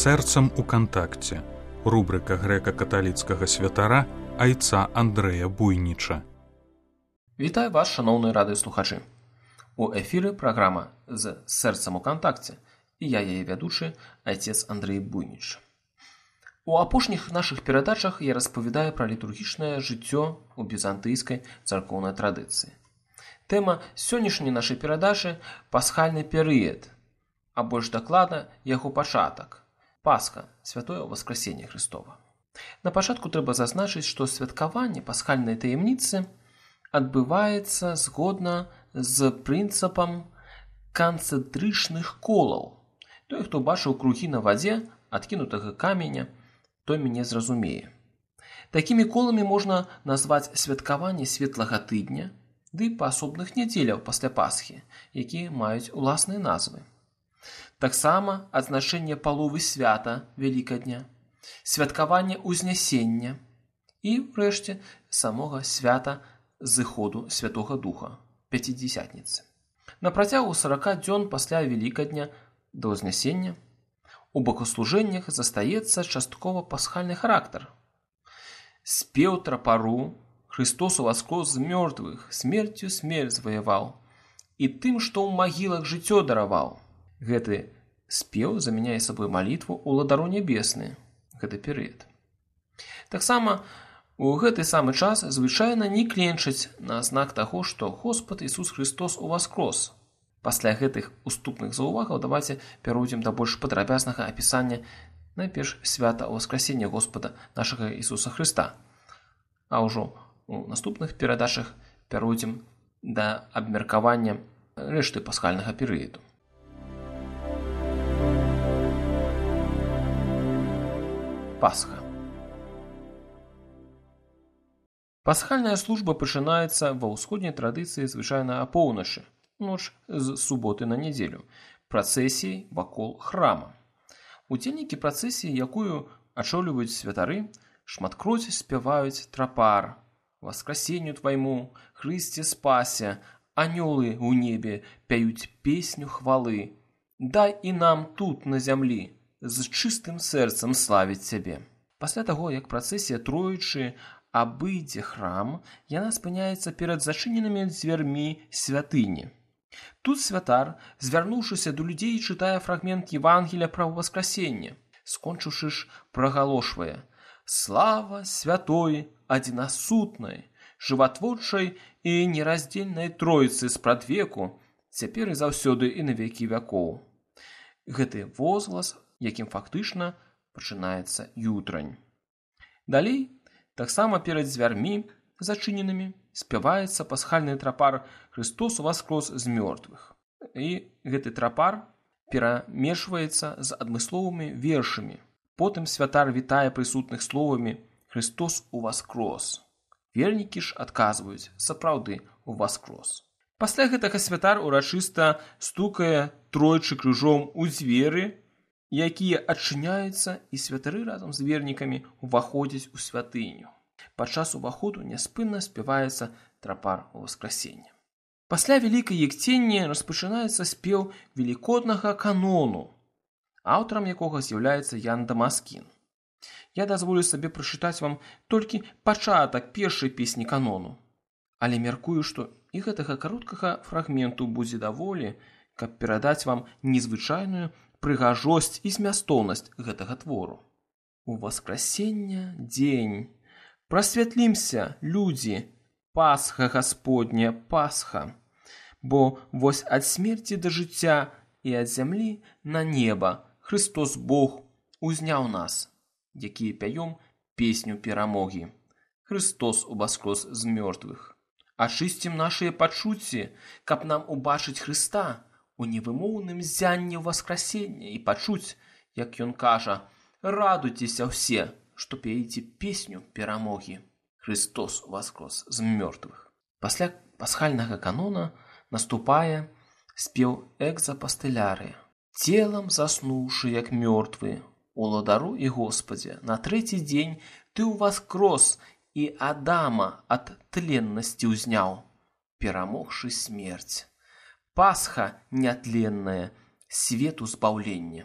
Сэрцам у кантакце. Рубрика грэка-каталіцкага святара айца Андрэя Буйніча. Вітаю вас, шановні радыёслухачы. У эфіры праграма «З сэрцам у кантакце» і я яе вядучы, айцец Андрэй Буйніч. У апошніх нашых перадачах я распавядаю пра літургічнае жыццё у візантыйскай царкоўнай традыцыі. Тэма сённяшняй нашай перадачы – пасхальны перыяд, а больш дакладна яго пачатак – Пасха, святое Воскресенье Христова. На пачатку трэба зазначыць, што святкаванне пасхальнай таямніцы адбываецца згодна з прынцыпам канцэнтрычных колаў. Той, хто бачыў кругі на вадзе адкінутага каменя, той мяне зразумее. Такімі коламі можна назваць святкаванне светлага тыдня ды паасобных нядзеляў пасля Пасхі, якія маюць уласныя назвы. Таксама адзначэнне паловы свята Вялікадня, святкаванне Узнясення і, врэшце, самога свята зыходу Святога Духа, Пяцідзясятніцы. На працягу 40 дзён пасля Вялікадня да Ўзнясення у богослужэннях застаецца часткова пасхальны характар. Спеў трапару, Христос уваскрос з мёртвых, смерцю смерць зваяваў, і тым, што ў магілах жыццё дараваў. Гэты спеў замяняе сабой малітву ўладару нябесны, гэты перыяд. Таксама у гэты самы час звычайна не кленчаць на знак таго, што Господ Ісус Христос уваскрос. Пасля гэтых уступных заўвагаў давайце пяройдзем да больш падрабязнага апісання найперш свята Воскресення Господа нашага Ісуса Хрыста, а ўжо у наступных перадачах пяройдзем да абмеркавання рэшты пасхальнага перыяду. Пасха. Пасхальная служба пачынаецца ва ўсходняй традыцыі звычайна апоўначы, ноч з суботы на нядзелю, працэсіяй вакол храма. Удзельнікі працэсіі, якую ачолююць святары, шматкроць спяваюць трапар: «Воскресенню твайму, Хрысце спася, анёлы ў небе пяюць песню хвалы. Дай і нам тут на зямлі з чыстым сэрцам славіць цябе». Пасля таго, як працэсія троечы абыдзе храм, яна спыняецца перад зачыненымі дзвярмі святыні. Тут святар, звярнуўшыся да людзей, чытае фрагмент Евангелія пра Воскресенне. Скончыўшы ж, прагалошвае: «Слава святой, адзінасутнай, жыватворчай і нераздзельнай Тройцы спрадвеку, цяпер і заўсёды і на векі вякоў». Гэты возглас, якім фактычна пачынаецца ютрань. Далей, таксама перад дзвярмі зачыненымі, спяваецца пасхальны трапар «Христос уваскрос з мёртвых». І гэты трапар перамешваецца з адмысловымі вершамі. Потым святар вітае прысутных словамі «Христос уваскрос». Вернікі ж адказваюць: «Сапраўды уваскрос». Пасля гэтага святар урачыста стукае тройчы крыжом у дзверы, якія адчыняюцца, і святары разам з вернікамі ўваходзяць у святыню. Падчас уваходу няспынна спяваецца трапар Воскресення. Пасля Вялікай Ектенні распачынаецца спеў велікоднага канону, аўтарам якога з'яўляецца Ян Дамаскін. Я дазволю сабе прачытаць вам толькі пачатак першай песні канону, але мяркую, што і гэтага кароткага фрагменту будзе даволі, каб перадаць вам незвычайную прыгажосць і змястоўнасць гэтага твору. «У Воскресення дзень, прасвятлімся, людзі, Пасха Гасподня, Пасха, бо вось ад смерці да жыцця і ад зямлі на неба Христос Бог узняў нас, якія пяём песню перамогі. Христос уваскрос з мёртвых. Ачысцім нашыя пачуцці, каб нам убачыць Хрыста у невымоўным зянні Воскресення і пачуць, як ён кажа: «Радуйцеся ўсе, што пееце песню перамогі. Христос уваскрос з мёртвых». Пасля пасхальнага канона наступае спеў экзапастылярыя. «Целам заснуўшы, як мёртвы, уладару і Господзе, на трэці дзень ты ўваскрос і Адама ад тленнасці ўзняў, перамогшы смерць. Пасха нятленная, свету збаўлення».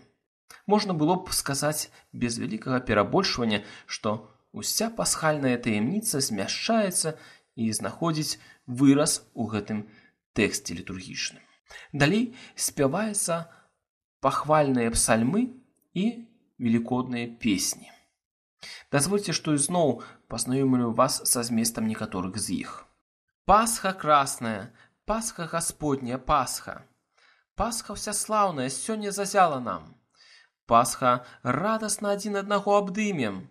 Можна было б сказаць без вялікага перабольшвання, што уся пасхальная таямніца змяшчаецца і знаходзіць выраз у гэтым тэксце літургічным. Далей спяваецца пахвальныя псальмы і велікодныя песні. Дазвольце, што ізноў пазнаёмлю вас са зместам некаторых з іх. Пасха красная, Пасха Господня, Пасха. Пасха всяслаўная сёння зазяла нам. Пасха радасна адзін аднаго абдымем.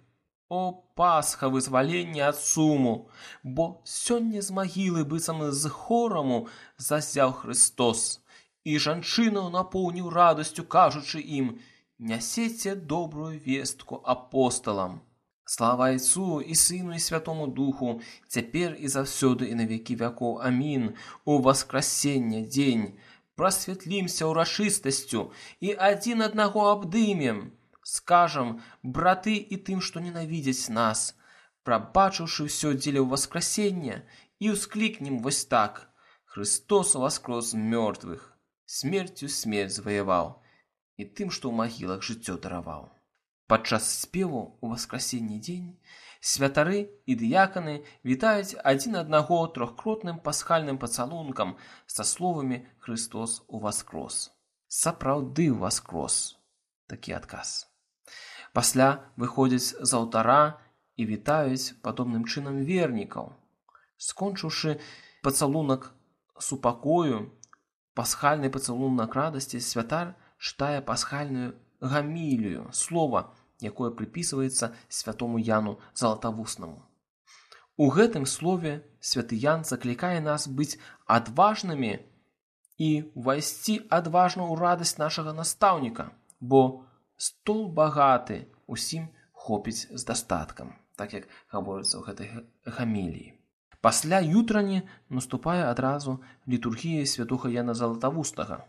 О, Пасха вызвалення ад суму, бо сёння з магілы быццам з хораму зазяў Христос, і жанчынаў напоўніў радасцю, кажучы ім: «Нясеце добрую вестку апосталам». Слава Айцу і Сыну і Святому Духу, цяпер і заўсёды і на векі вякоў. Амін. У васкрасення дзень прасвятлімся ўрачыстасцю і адзін аднаго абдымем. Скажам, браты і тым, што ненавідзяць нас, прабачыўшы ўсё дзеля ўваскрасення, і ўсклікнем вось так: Христос воскрос з мёртвых, смерцю смерць заваяваў, і тым, што ў магілах жыццё дараваў. Падчас спеву ў васкрасенні дзень святары і дыяканы вітаюць адзін аднаго трохкротным пасхальным пацалункам са словамі «Христос уваскрос». Сапраўды ўваскрос. Такі адказ. Пасля выходзяць з алтара і вітаюць падобным чынам вернікаў. Скончыўшы пацалунак супакою, пасхальны пацалунак радасці, святар чытае пасхальную гамілію, слова, якое прыпісваецца святому Яну Залатавуснаму. У гэтым слове святы Ян заклікае нас быць адважнымі і ўвайсці адважна ў радасць нашага настаўніка, бо стол багаты, усім хопіць з дастаткам, так як гаворыцца ў гэтай гаміліі. Пасля ютрані наступае адразу літургія святога Яна Залатавустага.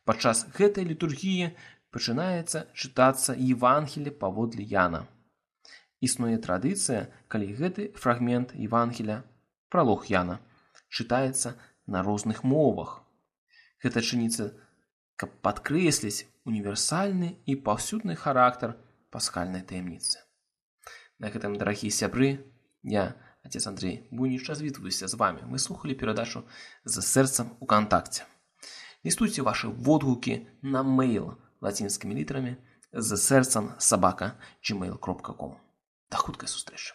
Падчас гэтай літургіі пачынаецца чытацца Евангелле паводле Яна. Існуе традыцыя, калі гэты фрагмент Евангеля, пралог Яна, чытаецца на розных мовах. Гэта чыніцца, каб падкрэсліць універсальны і паўсюдны характар пасхальнай таямніцы. На гэтым, дарагія сябры, я, отец Андрей Буйніч, развітваюся з вами. Мы слухали перадачу «За сэрцам у кантакце». Лістуйце ваши водгукі на мейл лацінскімі літарамі zasercam@gmail.com. До хуткай сустрэчы.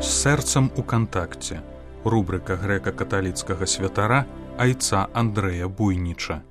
З сэрцам у кантакце. Рубрика грэка-каталіцкага святара Айца Андрэя Буйніча.